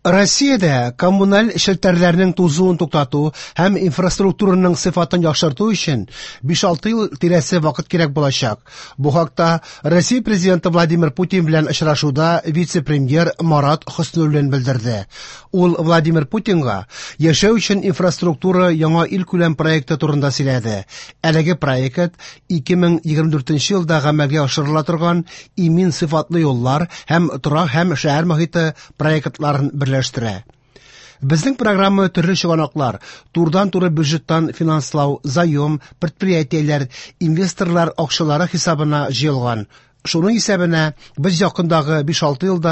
Россиядә коммуналь челтәрләрнең тузуын туктату һәм инфраструктураның сыйфатын яхшырту өчен 5-6 ел тирәсе вакыт кирәк булачак. Бу хакта Россия Президенты Владимир Путин белән очрашуда вице-премьер Марат Хөснуллин белдерде. Ул Владимир Путинга яшәү өчен инфраструктура яңа илкүләм проекты турында сөйләде. Әлеге проект 2024 елда гамәлгә ашырыла торган имин сыйфатлы юллар һәм торак һәм шәһәр мохите проектларын берләштерә. Безнең программа төрле чыганаклар, турыдан-туры бюджеттан финанслау, заем, предприятиеләр, инвесторлар акчалары хисабына җыелган. Шуның исәбенә без якындагы 5-6 елда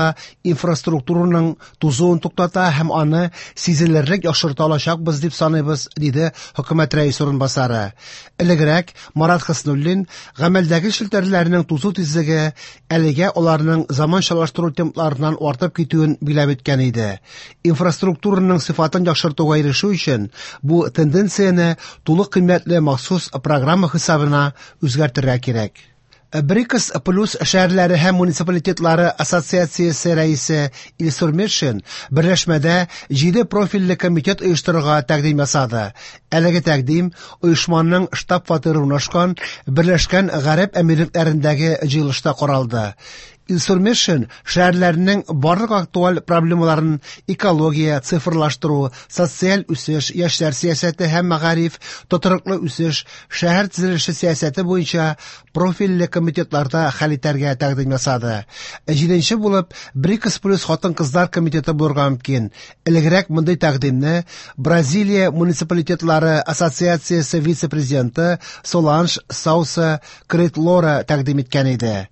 инфраструктураның тузуын туктата һәм аны сизелерлек яхшырта алачакбыз дип саныйбыз, диде хөкүмәт рәисе урынбасары. Элегрәк Марат Хөснуллин гамәлдәге челтәрләрнең тузу тизлеге әлегә аларның заманчалаштыру темпларыннан артып китүен биләп үткән иде. Инфраструктураның сыйфатын яхшыртуга ирешү өчен бу тенденцияне тулы кыйммәтле махсус программа хисабына үзгәртергә кирәк. БРИКС плюс шәһәрләре һәм муниципалитетлары ассоциациясе рәисе Илсур Метшин берләшмәдә 7 профильле комитет оештырырга тәкъдим ясады. Әлеге тәкъдим оешманың штаб-фатиры урнашкан Берләшкән Гарәп Әмирлекләрендәге җыелышта каралды. Илсур Метшин шәһәрләрнең барлык актуаль проблемаларын экология, цифрлаштыру, социаль үсеш, яшьләр сәясәте һәм мәгариф, тотрыклы үсеш, шәһәр төзелеше сәясәте буенча профильле комитетларда хәл итәргә тәкъдим ясады. Җиденче булып БРИКС плюс хатын-кызлар комитеты булырга мөмкин. Элегрәк мондый тәкъдимне Бразилия муниципалитетлары ассоциациясе вице-президенты Соланж Сауса Кретлора тәкъдим иткән иде.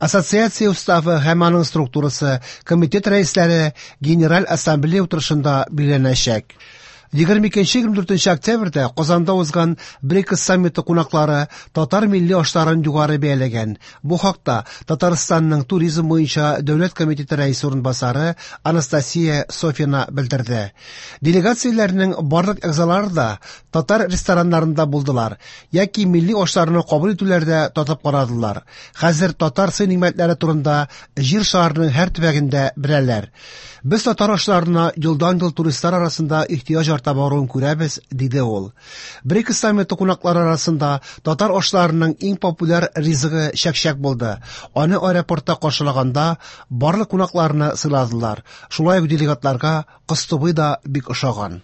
Ассоциация уставы һәм аның структурасы комитет рәисләре Генераль ассамблея утырышында билгеләнәчәк. 22-24 октябрьдә Казанда узган БРИКС саммиты кунаклары татар милли ашларын югары бәяләгән. Бу хакта Татарстанның туризм буенча дәүләт комитеты рәисе урынбасары Анастасия Софина белдерде. Делегацияләрнең барлык әгъзалары да татар рестораннарында булдылар яки милли ашларны кабул итүләрдә татып карадылар. Хәзер татар сый-нигъмәтләре турында Җир шарының һәр төбәгендә беләләр. Без татар ашларына елдан-ел туристлар арасында ихтыяҗ арта баруын күрәбез, диде ул. БРИКС саммиты кунаклары арасында татар ашларының иң популяр ризыгы чәкчәк булды. Аны аэропортта каршылаганда барлык кунакларны сыйладылар. Шулай ук делегатларга кыстыбый да бик ошаган.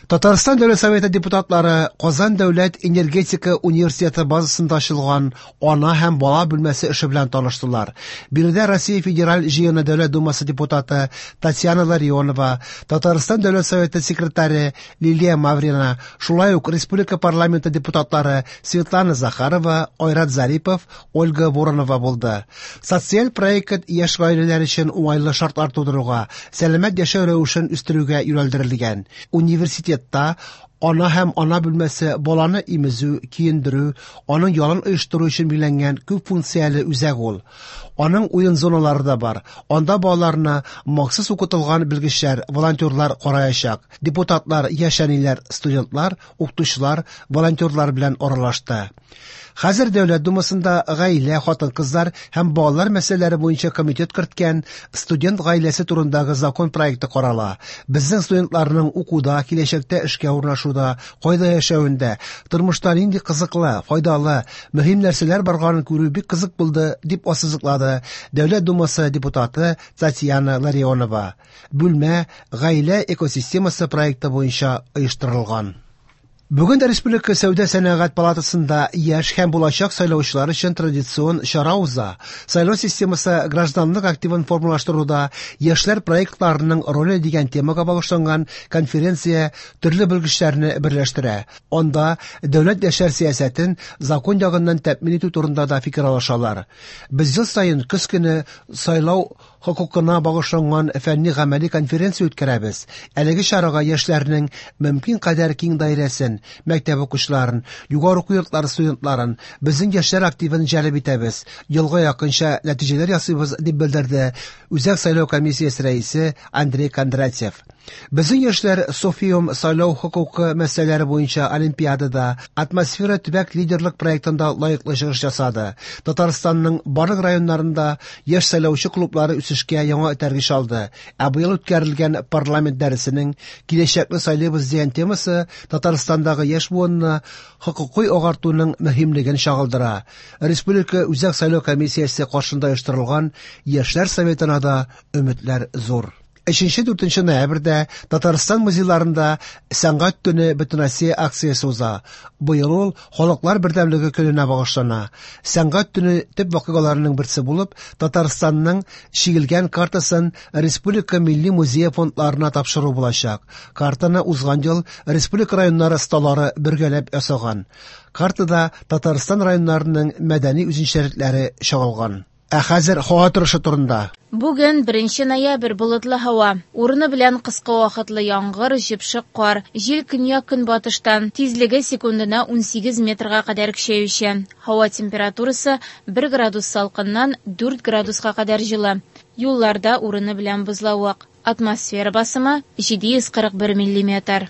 Татарстан Дәүләт Советы депутатлары Казан дәүләт энергетика университеты базасында ачылган ана һәм бала бүлмәсе эше белән таныштылар. Биредә Россия Федераль Җыены Дәүләт Думасы депутаты Татьяна Ларионова, Татарстан Дәүләт Советы секретаре Лилия Маврина, шулай ук республика парламенты депутатлары Светлана Захарова, Айрат Зарипов, Ольга Воронова булды. Социаль проект яшь гаиләләр өчен уңайлы шартлар тудыруга, сәламәт яшәү рәвешен үстерүгә юнәлдерелгән. Университетта ана һәм ана бүлмәсе баланы имезү, киендерү, аның ялын оештыру өчен билгеләнгән күп функцияле үзәк ул. Аның уен зоналары да бар. Анда балаларны махсус укытылган белгечләр, волонтерлар караячак. Депутатлар, яшь әниләр, студентлар, укытучылар, волонтерлар белән аралашты. Хәзер Дәүләт Думасында гаилә, хатын-кызлар һәм балалар мәсьәләләре буенча комитет керткән студент гаиләсе турындагы закон проекты карала. Безнең студентларның укуда, киләчәктә эшкә урнашуда, кайда яшәвендә, тормышта нинди кызыклы, файдалы, мөһим нәрсәләр барганын күрү бик кызык булды, дип ассызыклады Дәүләт Думасы депутаты Татьяна Ларионова. Бүлмә гаилә экосистемасы проекты буенча оештырылган. Бүген Республика Сәүдә сәнәгать палатасында яшь һәм булачак сайлаучылар өчен традицион чара уза. Сайлау системасы гражданлык активын формалаштыруда яшьләр проектларының роле дигән темага багышланган конференция төрле белгечләрне берләштерә. Анда дәүләт яшьләр сәясәтен закон ягыннан тәэмин итү турында да фикер алышалар. Без ел саен көз көне сайлау хокукына багышланган фәнни-гамәли конференция үткәрәбез. Әлеге чарага яшьләрнең мөмкин кадәр киң даирәсен, мәктәп укучыларын, югары уку йортлары студентларын, безнең яшьләр активын җәлеп итәбез. Елга якынча нәтиҗәләр ясыйбыз, дип белдерде Үзәк сайлау комиссиясе рәисе Андрей Кондратьев. Безнең яшьләр Софиум сайлау хокукы мәсьәләләре буенча олимпиадада Атмосфера төбәк лидерлык проектында лаеклы чыгыш ясады. Татарстанның барлык районнарында яшь сайлаучы клублары үсешкә үсешкә яңа этәргеч алды. Ә быел үткәрелгән парламент дәресенең «Киләчәкне сайлыйбыз» дигән темасы Татарстандагы яшь буынны хокукый агартуның мөһимлеген чагылдыра. Республика Үзәк сайлау комиссиясе каршында оештырылган Яшьләр советына да өметләр зур. 3-4 ноябрьдә Татарстан музейларында Сәнгать төне Бөтенроссия акциясе уза. Быел ул Халыклар бердәмлеге көненә багышлана. Сәнгать төне төп вакыйгаларының берсе булып, Татарстанның чигелгән картасын Республика Милли музее фондларына тапшыру булачак. Картаны узган ел республика районнары осталары бергәләп ясаган. Картада Татарстан районнарының мәдәни үзенчәлекләре чагылган. Ә хәзер һава торышы турында. Бүген, 1 ноябрь, болытлы һава. Урыны белән кыска вакытлы яңгыр, җепшек кар. Җил көньяк-көнбатыштан, тизлеге секундына 18 метрга кадәр көчәючән. Һава температурасы 1 градус салкыннан 4 градуска кадәр җылы. Юлларда урыны белән бозлавык. Атмосфера басымы 741 миллиметр.